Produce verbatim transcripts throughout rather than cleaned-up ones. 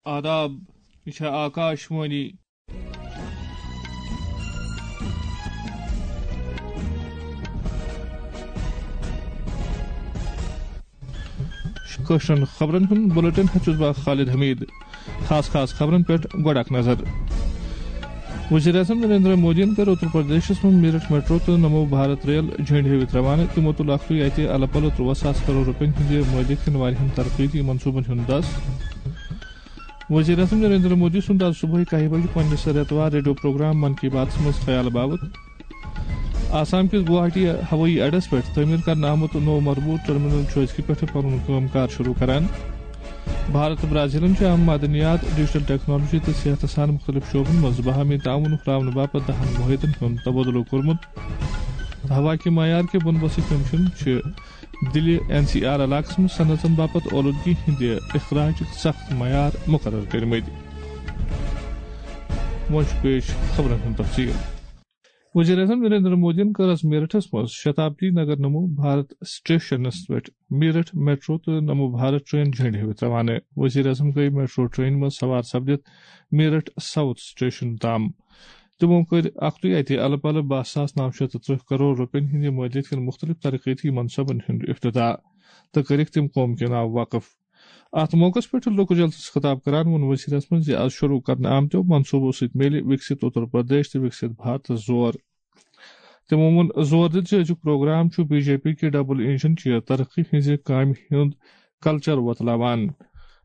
آداب، یہِ چھےٚ آکاش وانی۔ کٲشرٮ۪ن خبرن ہُنٛد بُلٹن ہیٚتھ چھُس بہٕ خالد حمید۔ خاص خاص خبرن پٮ۪ٹھ گۄڈٕ اکھ نظر۔ وزیر اعظم نریندر مودیَن کٔر اتر پردیشس منٛز میرٹھ میٹرو تہٕ نمو بھارت ریل جھنڈ ہٲوِتھ روانہٕ۔ تِمو تُل اکھ تُے اتہِ الہٕ پلہٕ ترٛواہ ساس کرور رۄپین ہٕنٛدِ مٲلیت کٮ۪ن واریاہن ترقیتی منصوبن ہُنٛد دس۔ وزیر اعظم نریندر مودی سُنٛد آز صبحٲے کاہہِ بجہِ پننِس رٮ۪توار ریڈیو پروگرام من کی باتس منٛز خیال باوت۔ آسام کِس گوہاٹی ہوٲیی اڈس پٮ۪ٹھ تعمیٖر کرنہٕ آمُت نوٚو مربوط ٹرمینل چھُ أزکہِ پٮ۪ٹھٕ پنُن کٲم کار شروع کران۔ بھارت تہٕ برازیلن چھُ اہم معدنیات، ڈیجیٹل ٹیکنالوجی تہٕ صحتس سان مُختٔلِف شعبن منٛز باہمی تعاون ہُراونہٕ باپتھ دہن معاہدن ہُنٛد تبادلہٕ کوٚرمُت۔ ہوا کہِ معیار کہِ بندوبستٕکۍ کمشن چھِ دِلہِ این سی آر علاقس منٛز صنعتن باپتھ اولودگی ہٕنٛدِ اخراجٕکۍ سخت معیار مقرر کٔرمٕتۍ۔ وۄنۍ چھُ پیش خبرن ہُنٛد تفصیل۔ وزیر اعظم نریندر مودیَن کٔر آز میرٹھس منٛز شتابدی نگر نمو بھارت سٹیشنس پٮ۪ٹھ میرٹھ میٹرو تہٕ نمو بھارت ٹرین جھنڈ ہٲوِتھ روانہٕ۔ وزیر اعظم گٔیہِ میٹرو ٹرین منٛز سوار سپدِتھ میرٹھ ساؤتھ سٹیشن تام۔ تِمو کٔرۍ اکھتُے اتہِ الہٕ پلہٕ باہ ساس نو شیٚتھ تہٕ ترٕٛہ کرور رۄپین ہٕنٛدِ مٲلیت کٮ۪ن مُختٔلِف ترقیتی منصوبن ہُنٛد افتتاح تہٕ کٔرِکھ تِم قوم کے ناو وقف۔ اتھ موقعس پٮ۪ٹھ لوکل جلسس خطاب کران ووٚن وزیر اعظمن زِ از شروع کرنہٕ آمتیو منصوبو سۭتۍ میلہِ وکسِت اتر پردیش تہٕ وکسِت بھارتس زور۔ تِمو ووٚن زور دِتھ زِ أزیُک پروگرام چھُ بی جے پی کہِ ڈبل انجن چہِ ترقی ہٕنٛزِ کامہِ ہُنٛد کلچر وۄتلاوان۔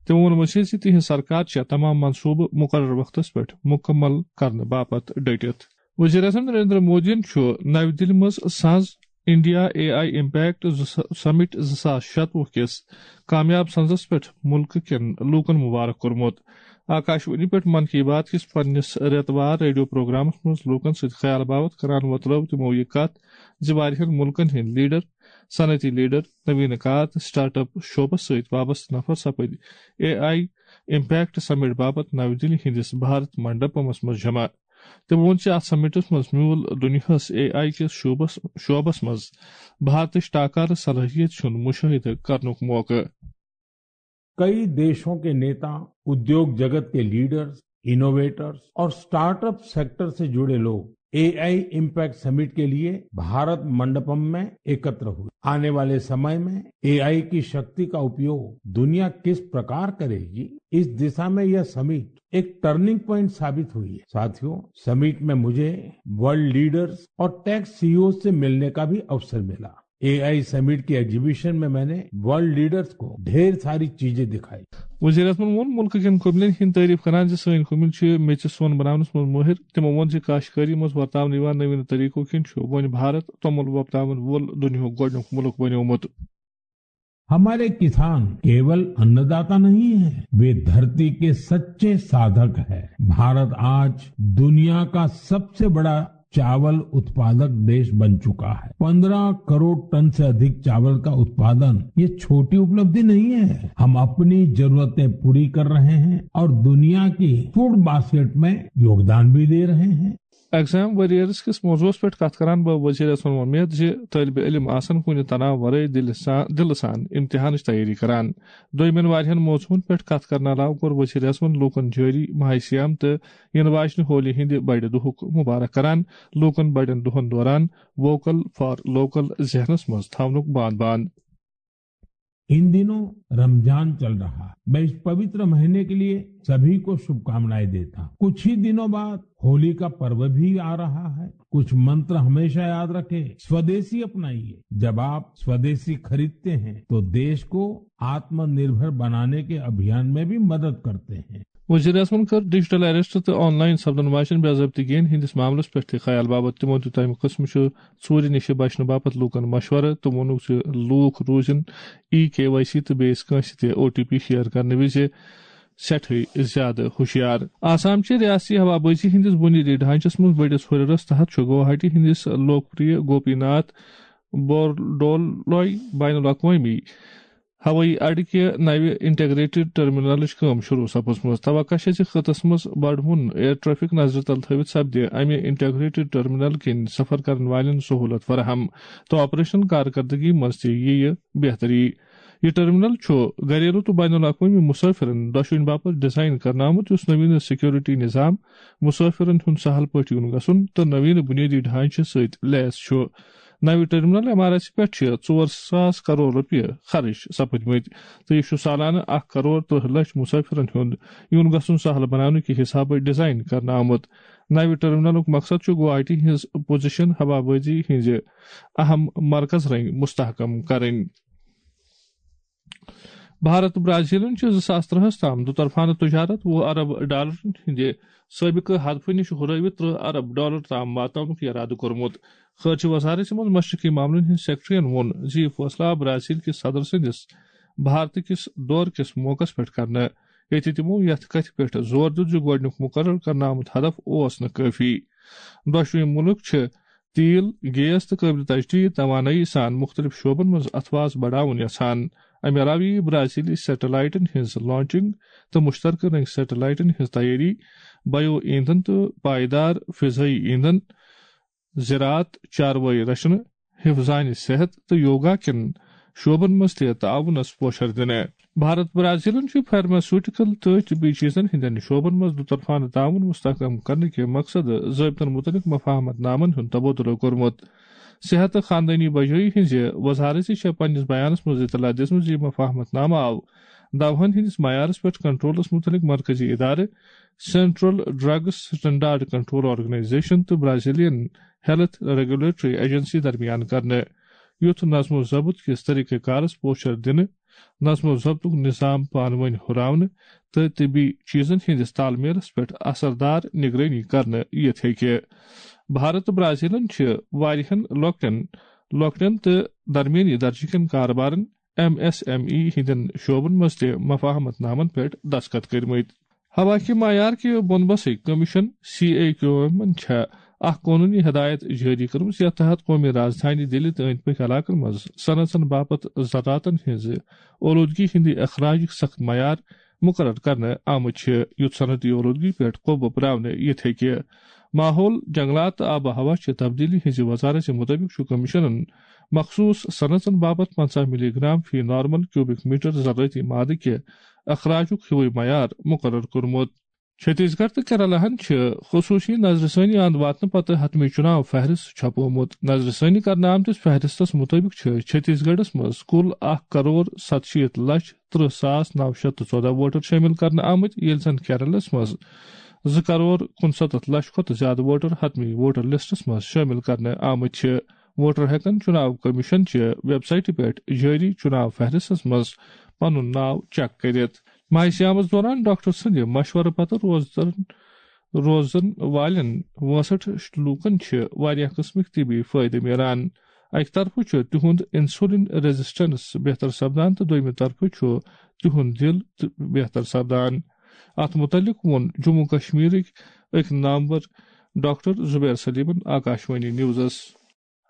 تِمو ووٚن مزید زِ تِہنٛز سرکار چھےٚ تمام منصوبہٕ مقرر وقتس پٮ۪ٹھ مکمل کرنہٕ باپتھ ڈٔٹِتھ۔ وزیر اعظم نریندر مودیَن چھُ نَوِ دِلہِ منٛز سنز انڈیا اے آئی امپیکٹ سمٹ زٕ ساس شتوُہ کِس کامیاب سنزس پٮ۪ٹھ مُلکہٕ کٮ۪ن لوٗکن مبارک کوٚرمُت۔ آکاشوانی پٮ۪ٹھ من کی بات کِس پننِس رٮ۪توار ریڈیو پروگرامس منٛز لوٗکن سۭتۍ خیال باوت کران وۄتلٲو تِمو یہِ کتھ زِ واریاہن مُلکن ہٕنٛدۍ لیڈر، صنعتی لیڈر، نوینہٕ کار تہٕ سٹارٹ اپ شعبس سۭتۍ وابستہٕ نفر سپٕدۍ اے آئی امپیکٹ سمٹ باپتھ نَوِ دِلہِ ہٕنٛدِس بھارت منڈپمس منٛز جمع۔ تٔمۍ ووٚن زِ اتھ سمٹس منٛز میوٗل دُنیاہس اے آئی کِس شعبس، شعبس منٛز بھارتٕچ ٹاکارٕ صلٲحیت ہُنٛد مُشٲہدٕ کرنُک موقعہٕ۔ कई देशों के नेता, उद्योग जगत के लीडर्स, इनोवेटर्स और स्टार्टअप सेक्टर से जुड़े लोग एआई इम्पैक्ट समिट के लिए भारत मंडपम में एकत्र हुए। आने वाले समय में एआई की शक्ति का उपयोग दुनिया किस प्रकार करेगी, इस दिशा में यह समिट एक टर्निंग पॉइंट साबित हुई है। साथियों, समिट में मुझे वर्ल्ड लीडर्स और टेक सीईओ से मिलने का भी अवसर मिला। एआई समिट की एग्जीबिशन में मैंने वर्ल्ड लीडर्स को ढेर सारी चीजें दिखाई। وزیر اعظمن ووٚن مُلکہٕ کٮ۪ن قٲبلٮ۪ن ہٕنٛدۍ تعریف کران زِ سٲنۍ قٲبل چھِ میٚژِ سۄن بناونس منٛز مٲہِر۔ تِمو ووٚن زِ کاشت کٲری منٛز ورتاونہٕ یِوان نٔویٖن طریقو کِنۍ چھُ وۄنۍ بھارت توٚمُل وۄپداون وول دُنیاہُک گۄڈٕنیُک مُلک بنیومُت۔ हमारे किसान केवल अन्नदाता नहीं है, वे धरती के सच्चे साधक हैं। भारत आज दुनिया का सबसे बड़ा चावल उत्पादक देश बन चुका है। पन्द्रह करोड़ टन से अधिक चावल का उत्पादन, ये छोटी उपलब्धि नहीं है। हम अपनी जरूरतें पूरी कर रहे हैं और दुनिया की फूड बास्केट में योगदान भी दे रहे हैं। ایگزام ویریئرز کِس موضوعس پٮ۪ٹھ کتھ کران بہٕ وزیر اعظمن ووٚن مےٚ زِ طٲلبِ علم آسن کُنہِ تناو ورٲے دِلہِ سان، دِلہٕ سان امتحانٕچ تیٲری کران۔ دوٚیمٮ۪ن واریاہن موضوعن پٮ۪ٹھ کتھ کرنہٕ علاوٕ کوٚر وزیر اعظمن لوٗکن جٲری ماہِ صیام تہٕ یِنہٕ واجنہِ ہولی ہٕنٛدِ بڑِ دۄہُک مبارک کران، لوٗکن بڑٮ۪ن دۄہن دوران ووکل فار لوکل ذہنس منٛز تھاونُک باند باند۔ इन दिनों रमजान चल रहा है। मैं इस पवित्र महीने के लिए सभी को शुभकामनाएं देता हूँ। कुछ ही दिनों बाद होली का पर्व भी आ रहा है। कुछ मंत्र हमेशा याद रखें, स्वदेशी अपनाइए। जब आप स्वदेशी खरीदते हैं तो देश को आत्मनिर्भर बनाने के अभियान में भी मदद करते हैं। وزیر اعظمن کٔر ڈیجیٹل اریسٹ تہٕ آن لائن سپدن واجٮ۪ن بے ضٲبطگین ہٕنٛدِس معاملس پٮ۪ٹھ تہِ خیال باپتھ۔ تِمو دیُت تمہِ قٕسمہٕ چہِ ژوٗرِ نِش بچنہٕ باپتھ لوٗکن مشورٕ تہٕ ووٚنُکھ زِ لوٗکھ روٗزِن ای کے وائی سی تہٕ بیٚیِس کٲنٛسہِ تہِ او ٹی پی شیئر کرنہٕ وِزِ سٮ۪ٹھٕے زیادٕ ہُشیار۔ آسام چہِ ریاستی ہوابازی ہٕنٛدِس بُنیٲدی ڈھانچس منٛز بٔڑِس ہُرٮ۪رس تحت چھُ گوہاٹی ہٕنٛدِس لوکپریہ گوپی ناتھ بورڈولوی بین الاقوٲمی ہوٲیی اڈٕ کہِ نوِ انٹیگریٹڈ ٹرمینلٕچ کٲم شروع سپٕزمٕژ۔ توقع چھےٚ زِ خطس منٛز بڑوُن ایئر ٹریفک نظرِ تل تھٲوِتھ سپدِ امہِ انٹیگریٹڈ ٹرمینل کِنۍ سفر کرن والٮ۪ن سہولت فراہم تہٕ آپریشنل کارکردگی منٛز تہِ یِیہِ بہتری۔ یہِ ٹرمینل چھُ گھریلو تہٕ بین الاقوٲمی مسافرن دۄشوٕنۍ باپتھ ڈیزائن کرنہٕ آمُت، یُس نویٖن سیکورٹی نظام، مسافرن ہُنٛد سہل پٲٹھۍ یُن گژھُن تہٕ نویٖن بُنیٲدی ڈھانچہٕ سۭتۍ لیس چھُ۔ نوِ ٹرمینل عمارژِ پٮ۪ٹھ چھِ ژور ساس کرور رۄپیہِ خرٕچ سپٕدمٕتۍ تہٕ یہِ چھُ سالانہٕ اکھ کرور ترٕہ لچھ مسافرن ہُنٛد یُن گژھُن سہل بناونہٕ کہِ حسابہٕ ڈیزائن کرنہٕ آمُت۔ نوِ ٹرمینلُک مقصد چھُ گوہاٹی ہٕنٛز پوزیشن ہوابازی ہٕنٛزِ اہم مرکز رنگۍ مستحکم کرٕنۍ۔ بھارت تہٕ برازیلن چھِ زٕ ساس ترٛہَس تام دُطرفانہٕ تجارت وُہ ارب ڈالرن ہٕنٛدِ سٲبقہٕ ہدفہٕ نِش ہُرٲوِتھ ترٕہ ارب ڈالر تام واتناونُک ارادٕ کوٚرمُت۔ خارجہ وزارت منٛز مشرقی معاملن ہٕنٛدۍ سیکرٹریَن ووٚن زِ یہِ فٲصلہٕ آو برازیل کِس صدر سٕنٛدِس بھارت کِس دورٕ کِس موقعس پٮ۪ٹھ کرنہٕ، ییٚتہِ تِمو یتھ کتھِ پٮ۪ٹھ زور دیُت زِ گۄڈٕنیُک مقرر کرنہٕ آمُت ہدف اوس نہٕ کٲفی۔ دۄشوٕے مُلک چھِ تیل، گیس تہٕ قٲبلِ تجدید توانٲیی سان مُختٔلِف شعبن منٛز اَتھٕ واس بڑاوُن یژھان۔ اَمہِ علاوٕ یِیہِ برازیلی سیٹلائٹن ہٕنٛز لانچنگ تہٕ مشترکہٕ رنگۍ سیٹلائٹن ہٕنٛز تیٲری، بائیو ایندھن تہٕ پائیدار فضائی ایندھن، زراعت، چاروٲے رچھنہٕ، حفظانِ صحت تہٕ یوگا کٮ۪ن شعبن منٛز تہِ تعاونس پوشر دِنہٕ۔ بھارت برازیلن چھُ فارماسیوٹیکل تہٕ طبی چیزن ہٕنٛدٮ۪ن شعبن منٛز دُطرفانہٕ تعاون مستحکم کرنہٕ کہِ مقصدٕ ضٲبطن مُتعلق مفاہمت نامن ہُنٛد تبادلہٕ کوٚرمُت۔ صحت تہٕ خاندٲنی بجٲیی ہٕنٛزِ وزارتہِ چھےٚ پننِس بیانس منٛز اطلاع دِژمٕژ زِ یہِ مفاہمت نامہٕ آو دوہن ہٕنٛدِس معیارس پٮ۪ٹھ کنٹرولس مُتعلق مرکزی ادارٕ، central drugs standard control organisation تہٕ برازیلین ہیلتھ ریگولیٹری ایجنسی درمیان کرنہٕ۔ یُتھ نظم و ضبط کِس طریقہ کارس پوچھر دِنہٕ، نظم و ضبطُک نظام پانہٕ وٲنۍ ہُراونہٕ تہٕ طبی چیزن ہٕنٛدِس تال میلس پٮ۪ٹھ اثردار نگرٲنی کرنہٕ یِتھ ہیٚکہِ۔ بھارت تہٕ برازیلن چھِ واریاہن لۄکٹٮ۪ن، لۄکٹٮ۪ن تہٕ درمیٲنی درجہٕ کٮ۪ن کاربارن، ایم ایس ایم ای، ہٕنٛدٮ۪ن شعبن منٛز تہِ مفاہمت نامن پٮ۪ٹھ دستخط کٔرمٕتۍ۔ ہوا کہِ معیار کہِ بۄن بسٕکۍ commission, C A Q M, چھےٚ اکھ قونوٗنی ہدایت جٲری کٔرمٕژ، یتھ تحت قومی رازدھانی دِلہِ تہٕ أنٛدۍ پٔکۍ علاقن منٛز صنعژن باپتھ ذراتن ہٕنٛزِ اولوٗدگی ہٕنٛدِ اخراجٕکۍ سخت معیار مقرر کرنہٕ آمٕتۍ چھِ، یُتھ صنعتی اولوٗدگی پٮ۪ٹھ قوبہٕ پراونہٕ یِتھ ہیٚکہِ۔ ماحول، جنگلات تہٕ آب و ہوا چہِ تبدیلی ہٕنٛزِ وزارتہِ مُطٲبِق چھُ کمیشنن مخصوٗص صنعژن باپتھ پنٛژاہ ملی گرام فی نارمل کیوبک میٹر زرٲعتی مادٕ کہِ اخراجُک ہیوٗے معیار مقرر کوٚرمُت۔ چھتیس گڑھ تہٕ کیرالہ ہن چھِ خصوٗصی نظرِ ثٲنی اند واتنہٕ پتہٕ حتمی چُناو فہرست چھپومُت۔ نظرِ ثٲنی کرنہٕ آمتِس فہرستس مُطٲبِق چھِ چھتیس گڑھس منٛز کُل اکھ کرور ستشیٖتھ لچھ ترٕہ ساس نو شیٚتھ تہٕ ژۄدہ ووٹر شٲمِل کرنہٕ آمٕتۍ، ییٚلہِ زن کیرلس منٛز زٕ کرور کُنسَتتھ لچھ کھۄتہٕ زیادٕ ووٹر حتمی ووٹر لسٹس منٛز شٲمِل کرنہٕ آمٕتۍ چھِ۔ ووٹر ہٮ۪کن چُناو کمیشن چہِ ویب سایٹہِ پٮ۪ٹھ جٲری چُناو فہرستس منٛز پنُن ناو چیک کٔرِتھ۔ ماہِ صیامس دوران ڈاکٹر سٕنٛدِ مشورٕ پتہٕ روزدرن، روزن والٮ۪ن وٲنٛسٹھ لوٗکن چھِ واریاہ قٕسمٕکۍ طبی فٲیدٕ میلان۔ اکہِ طرفہٕ چھُ تِہُنٛد انسولین ریزسٹنس بہتر سپدان تہٕ دوٚیمہِ طرفہٕ چھُ تِہُنٛد دِل تہِ بہتر سپدان۔ اتھ مُتعلق ووٚن جموں کشمیرٕکۍ أکۍ نامور ڈاکٹر زبیر سلیمن آکاشوانی نیوزس۔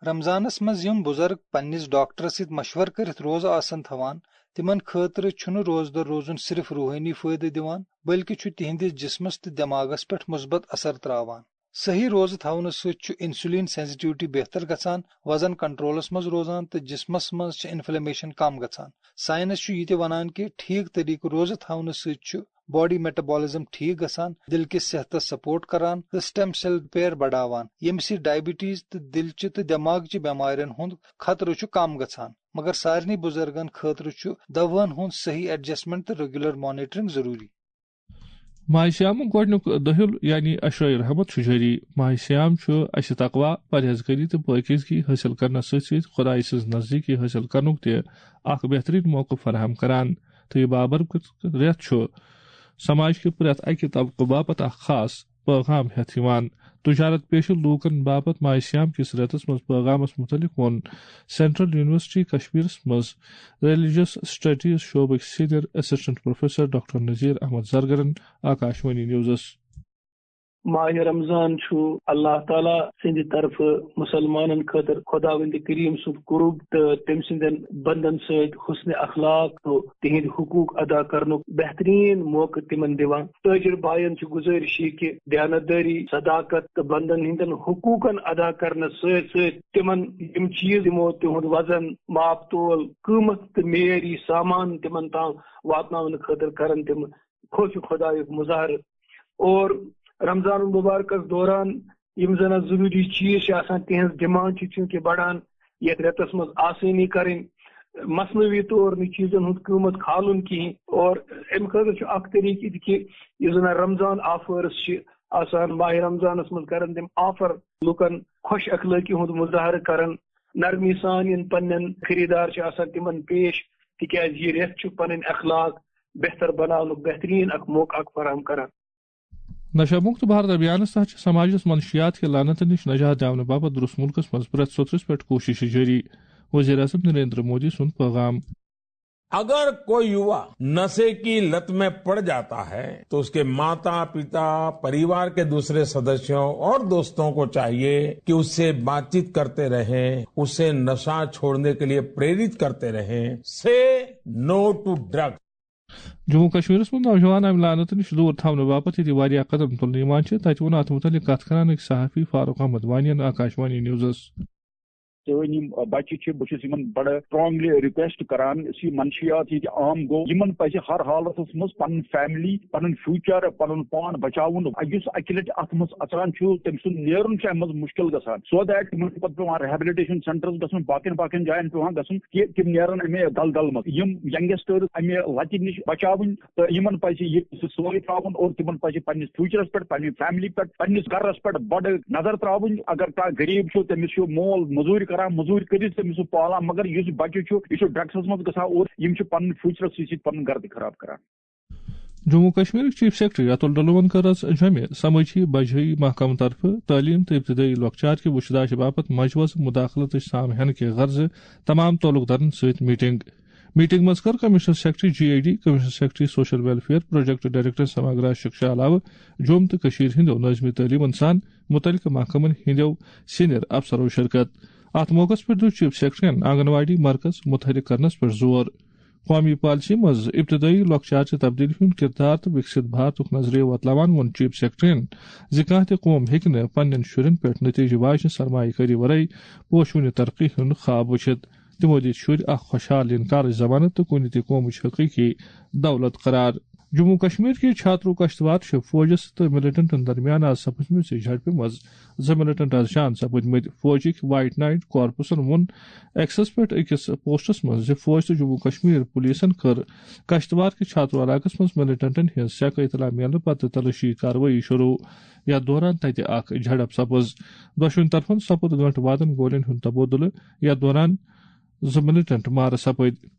رمضانس منٛز یِم بُزرگ پننِس ڈاکٹرس سۭتۍ مشورٕ کٔرِتھ روزٕ آسن تھاوان، تِمن خٲطرٕ چھُنہٕ روزدر روزُن صرف روحٲنی فٲیدٕ دِوان، بلکہِ چھُ تِہنٛدِس جسمس تہٕ دٮ۪ماغس پٮ۪ٹھ مثبت اثر تراوان۔ صحیح روزٕ تھاونہٕ سۭتۍ چھُ انسولین سینسٹیوٹی بہتر گژھان، وزن کنٹرولس منٛز روزان تہٕ جسمس منٛز چھِ انفلیمیشن کم گژھان۔ ساینس چھُ یہِ تہِ ونان کہِ ٹھیٖک طریقہٕ روزٕ تھاونہٕ سۭتۍ چھُ باڈی میٹابولزم ٹھیٖک گژھان، دِل کِس صحتس سپورٹ کران تہٕ سٹیم سیل پیر بڑاوان، ییٚمہِ سۭتۍ ڈائبٹیز تہٕ دِلچہِ تہٕ دٮ۪ماغچہِ بٮ۪مارٮ۪ن ہُنٛد خطرٕ چھُ کم گژھان۔ مگر سارنٕے بُزرگن خٲطرٕ چھُ دوہَن ہُنٛد صحیح ایڈجسٹمنٹ تہٕ ریگولر مانیٹرنگ ضروٗری۔ ماہِ صیامُک گۄڈٕنیُک دٔہیُل یعنی عشرائے رحمت چھُ جٲری۔ ماہِ صیام چھُ اَسہِ تقویٰ، پرہیزگٲری تہٕ پٲکیزگی حٲصِل کرنس سۭتۍ سۭتۍ خۄدایہِ سٕنٛز نزدیٖکی حٲصِل کرنُک تہِ اکھ بہتریٖن موقعہٕ فراہم کران۔ تہٕ یہِ بابرکت رٮ۪تھ چھُ سماج کہِ پرٛٮ۪تھ اَکہِ طبقہٕ باپتھ اکھ خاص پیغام ہٮ۪تھ یِوان۔ تجارت پیشہٕ لوٗکن باپتھ ماہِ صیام کِس رٮ۪تس منٛز پیغامس مُتعلق ووٚن سینٹرل یونیورسٹی کشمیرس منٛز ریلیجس اسٹڈیز شعبٕکۍ senior assistant professor doctor Nazir Ahmad زرگرن آکاشوانی نیوزس۔ ماہِ رمضان چھُ اللہ تعالیٰ سٕنٛدِ طرفہٕ مُسلمانن خٲطرٕ خۄداوندِ کریم سُنٛد قرب تہٕ تٔمۍ سٕنٛدٮ۪ن بندن سۭتۍ حسن اخلاق تہٕ تِہنٛدۍ حقوق ادا کرنُک بہتریٖن موقعہٕ تِمن دِوان۔ تٲجر بایَن چھِ گُزٲرِش یہِ کہِ دیانتدٲری، صداقت تہٕ بندن ہٕنٛدٮ۪ن حقوقن ادا کرنس سۭتۍ سۭتۍ تِمن یِم چیٖز یِمو تِہُنٛد وزن، ماپ تول، قۭمتھ تہٕ معیٲری سامان تِمن تام واتناونہٕ خٲطرٕ کرن تِم خوف خۄدایُک مظاہرٕ۔ اور رمضان المبارکس دوران یِم زن اتھ ضروٗری چیٖز چھِ آسان، تِہنٛز ڈیمانڈ چھِ چوٗنٛکہِ بڑان، یتھ رٮ۪تس منٛز آسٲنی کرٕنۍ، مصنوعی طور نہٕ چیٖزن ہُنٛد قۭمتھ کھالُن کِہیٖنۍ۔ اور امہِ خٲطرٕ چھُ اکھ طریٖقہٕ یہِ تہِ کہِ یُس زن رمضان آفٲرٕس چھِ آسان، ماہِ رمضانس منٛز کرن تِم آفر لُکن خۄش اخلٲقی ہُنٛد مظاہرٕ کرن، نرمی سان یِن پننٮ۪ن خریٖدار چھِ آسان تِمن پیش، تِکیازِ یہِ رٮ۪تھ چھُ پنٕنۍ اخلاق بہتر بناونُک بہتریٖن اکھ موقعہٕ اکھ فراہم کران۔ نشہ مکت بھارت ابھیانس تحت چھِ سماجس منشیات کہِ لعنتہٕ نِش نجات دِنہٕ باپتھ درست ملکس منٛز پرٛٮ۪تھ سوٚترِس پٮ۪ٹھ کوٗششہٕ جٲری، وزیر اعظم نریندر مودی سُنٛد پیغام۔ अगर कोई युवा नशे की लत में पड़ जाता है, तो उसके माता पिता, परिवार के दूसरे सदस्यों और दोस्तों को चाहिए कि उससे बातचीत करते रहें, उसे नशा छोड़ने के लिए प्रेरित करते रहें। Say no to drug. Jammu کشمیرس منٛز نوجوان امہِ لعنتہٕ نِش دوٗر تھاونہٕ باپتھ ییٚتہِ واریاہ قدم تُلنہٕ یِوان چھِ، تَتہِ ووٚن اَتھ مُتعلِق کَتھ کران أکۍ صحافی فاروق احمد وانیَن آکاشوانی نیوزَس۔ سٲنۍ یِم بچہِ چھِ، بہٕ چھُس یِمن بڑٕ strongly request کران، یُس یہِ منشیات ییٚتہِ عام گوٚو، یِمن پزِ ہر حالتس منٛز پنٕنۍ family، پنُن future، پنُن پان بچاوُن۔ یُس اکہِ لٹہِ اتھ منٛز اژان چھُ، تٔمۍ سُنٛد نیرُن چھُ امہِ منٛز مشکل گژھان۔ So that تِمن چھُ پتہٕ پٮ۪وان rehabilitation centres گژھُن، باقین باقین جاین پٮ۪وان گژھُن کہِ تِم نیرن امہِ دلدل منٛز۔ یِم youngsters امہِ لتہِ نِش بچاوٕنۍ، تہٕ یِمن پزِ یہِ سورُے ترٛاوُن اور تِمن پزِ پننِس futureس پٮ۪ٹھ، پننہِ family پٮ۪ٹھ، پننِس گرس پٮ۪ٹھ بڑٕ نظر ترٛاوٕنۍ۔ اگر کانٛہہ غریب چھُ، تٔمِس چھُ مول مٔزوٗرۍ کران، مٔزوٗرۍ کٔرِتھ تٔمِس سُہ پالان، مگر یُس بچہِ چھُ، یہِ چھُ drugsس منٛز گژھان اور یِم چھِ پنُن futureس سۭتۍ سۭتۍ پنُن گرٕ تہِ خراب کران۔ جموں کشمیرٕکۍ چیف سیکرٹری اتُل ڈلوَن کٔر از جوٚمہِ سمٲجی بجٲیی محکمہٕ طرفہٕ تعلیٖم تہٕ ابتدٲیی لۄکچار کہِ وُچھداشہِ باپتھ مجوزٕ مداخلتٕچ سام ہینہٕ کہِ غرضہٕ تمام تعلق دارن سۭتۍ میٹنگ۔ میٹنگ منٛز کٔر commissioner secretary G A D, commissioner secretary social welfare, project director Samagra Shiksha علاوٕ جوٚم تہٕ کٔشیٖر ہٕنٛدیو نٲظمہِ تعلیٖمن سان مُتعلقہٕ محکمن ہٕنٛدیو سینئر افسرو شرکت۔ اتھ موقعس پٮ۪ٹھ دیُت چیف سیکرٹریَن آنگن واڑی مرکز متحرک کرنس پٮ۪ٹھ زور۔ قومی پالیسی منٛز ابتدٲیی لۄکچارچہِ تبدیلی ہُنٛد کردار تہٕ وکست بھارتُک نظریہٕ وۄتلاوان ووٚن چیف سیکرٹریَن زِ کانٛہہ تہِ قوم ہیٚکہِ نہٕ پننٮ۪ن شُرٮ۪ن پٮ۪ٹھ نتیجہٕ واجنہِ سرمایہ کٲری ورٲے پوشوٕنہِ ترقی ہُنٛد خواب وٕچھِتھ۔ تِمو دِتۍ شُرۍ اکھ خۄشحال ینہٕ کالٕچ ضمانت تہٕ کُنہِ تہِ قومٕچ حقیقی دولت قرار۔ جموں کشمیر کہِ چھاترو کشتوار چھِ فوجس تہٕ ملٹنٹن درمیان آز سپٕزمٕژ جھڑپہِ منٛز زٕ ملٹنٹ از جان سپٕدمٕتۍ۔ فوجٕکۍ وائٹ نائٹ کارپسن ووٚن ایکسس پٮ۪ٹھ أکِس پوسٹس منٛز زِ فوج تہٕ جموں کشمیر پولیسن کٔر کشتوار کہِ چھاترو علاقس منٛز ملٹنٹن ہٕنٛز سیکہٕ اطلاع میلنہٕ پتہٕ تلٲشی کاروٲیی شروع، یتھ دوران تتہِ اکھ جھڑپ سپٕز۔ دۄشوٕنی طرفن سپُد گٲنٹہٕ وادن گولین ہُنٛد تبادلہٕ، یتھ دوران زٕ ملٹنٹ مارٕ سپٕدۍ۔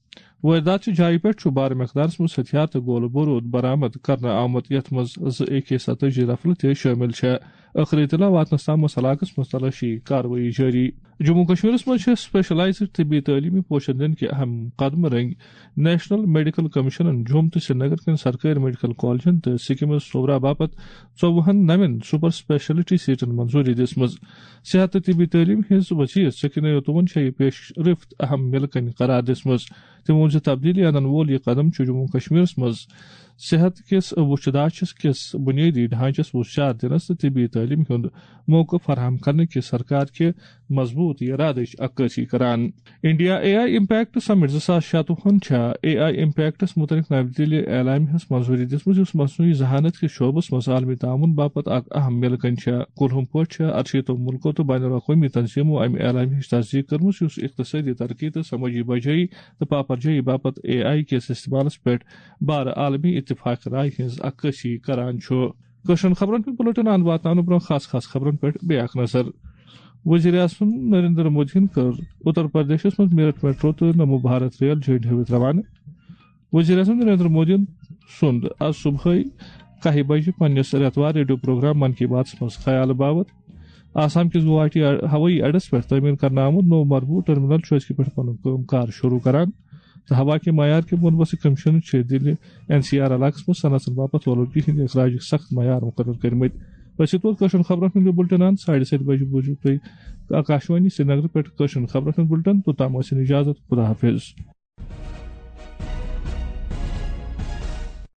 وٲرۍدات چہِ جایہِ پٮ۪ٹھ چھُ بارٕ مقدارس منٛز ہتھیار تہٕ گولہٕ بوروٗد برآمد کرنہٕ آمُت، یتھ منٛز زٕ اے کے ستٲجی رفلہٕ تہِ شٲمِل چھےٚ۔ ٲخری اطلاع واتنس تام ٲس علاقس منٛز تلٲشی کاروٲیی جٲری۔ جموں کشمیرس منٛز چھےٚ سپیشلائزڈ طبی تعلیمی پوشن دِنہٕ کہِ اہم قدمہٕ رٔنگۍ نیشنل میڈیکل کمیشنن جوٚم تہٕ سرینگر کٮ۪ن سرکٲرۍ میڈیکل کالجن تہٕ سکمز صوبرا باپتھ ژوٚوُہن نوٮ۪ن سپر سپیشلٹی سیٹن منظوٗری دِژمٕژ۔ صحت تہٕ طبی تعلیٖم ہٕنٛز وزیر سکینہ یوتوَن چھےٚ یہِ پیش رفت اہم مِلہٕ کٔنۍ قرار دِژمٕژ۔ تٔمۍ ووٚن زِ تبدیٖلی انن وول یہِ قدم چھُ جموں کشمیرس منٛز صحت کِس وُچھِ داچھس کِس بُنیٲدی ڈھانچس وُژھ چار دِنس تہٕ طبی تعلیٖم ہُنٛد موقعہٕ فراہم کرنہٕ کِس سرکار کہِ مضبوٗط ارادٕچ عکٲسی کران۔ انڈیا اے آئی امپیکٹ سمٹ زٕ ساس شتوُہن چھا اے آئی امپیکٹس متعلق نوِ دِلہِ اعلامیہس منظوٗری دِژمٕژ، یُس مصنوعی ذہانت کِس شعبس منٛز عالمی تعاوُن باپتھ اکھ اہم مِلہٕ کٔنۍ چھےٚ۔ کُلہُم پٲٹھۍ چھےٚ ارشیٖتو مُلکو تہٕ بین الاقوٲمی تنظیمو امہِ اعلامیہٕچ تصدیٖق کٔرمٕژ، یُس اقتصٲدی ترقی تہٕ سمٲجی بجٲیی تہٕ پاپرجٲیی باپتھ اے آئی کِس استعمالس پٮ۪ٹھ بارٕ عالمی اتفاق رائے ہٕنٛز عکٲسی کران چھُ۔ کٲشرٮ۪ن خبرن ہُنٛد بُلٹن اند واتناونہٕ برٛونٛہہ خاص خاص خبرن پٮ۪ٹھ بیٚیہِ اکھ نظر۔ وزیر اعظم نریندر مودیَن کٔر اتر پردیشس منٛز میرٹھ میٹرو تہٕ نمو بھارت ریل جھنڈی ہٲوِتھ روانہٕ۔ وزیر اعظم نریندر مودیَن سُنٛد از صبحٲے کاہہِ بجہِ پننِس رٮ۪توار ریڈیو پروگرام من کی باتس منٛز خیال باوت۔ آسام کِس گوہاٹی ہوٲیی اڈس پٮ۪ٹھ تعمیٖر کرنہٕ آمُت نوٚو مربوٗط ٹرمینل چھُ أزکہِ پٮ۪ٹھ پنُن کٲم کار شروع کران۔ تہٕ ہوا کہِ معیار کہِ بۄن وسٕک کٔمِشن چھِ دِلہِ این سی آر علاقس منٛز صنعتن باپتھ اولوٗدگی ہٕنٛدۍ اخراجٕکۍ سخت معیار مُقرر کٔرمٕتۍ۔ بس یہِ تُل کٲشرٮ۪ن خبرن ہُنٛد یہِ بُلٹن اند۔ ساڑِ ستہِ بجہِ بوٗزِو تُہۍ آکاشوانی سرینگرٕ پٮ۪ٹھ کٲشرٮ۪ن خبرن ہُنٛد بُلٹن۔ توٚتام ٲسِن اجازت، خدا حافظ۔